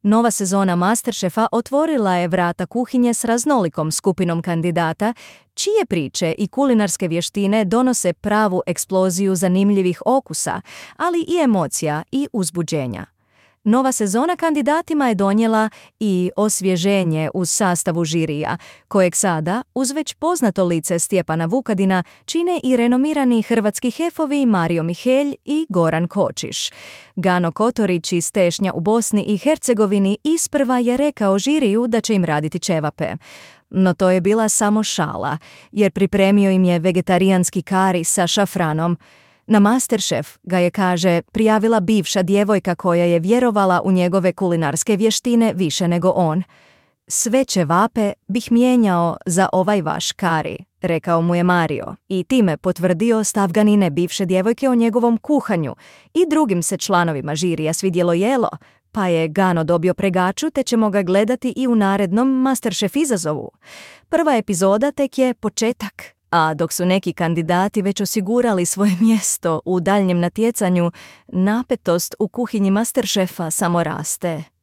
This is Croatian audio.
Nova sezona Masterchefa otvorila je vrata kuhinje s raznolikom skupinom kandidata, čije priče i kulinarske vještine donose pravu eksploziju zanimljivih okusa, ali i emocija i uzbuđenja. Nova sezona kandidatima je donijela i osvježenje u sastavu žirija, kojeg sada, uz već poznato lice Stjepana Vukadina, čine i renomirani hrvatski hefovi Mario Mihelj i Goran Kočiš. Gano Kotorić iz Tešnja u Bosni i Hercegovini isprva je rekao žiriju da će im raditi ćevape. No to je bila samo šala, jer pripremio im je vegetarijanski kari sa šafranom. Na Masterchef ga je, kaže, prijavila bivša djevojka koja je vjerovala u njegove kulinarske vještine više nego on. Sve ćevape bih mijenjao za ovaj vaš kari, rekao mu je Mario, i time potvrdio stav Ganine bivše djevojke o njegovom kuhanju. I drugim se članovima žirija svidjelo jelo, pa je Gano dobio pregaču te ćemo ga gledati i u narednom Masterchef izazovu. Prva epizoda tek je početak. A dok su neki kandidati već osigurali svoje mjesto u daljnjem natjecanju, napetost u kuhinji Masterchefa samo raste.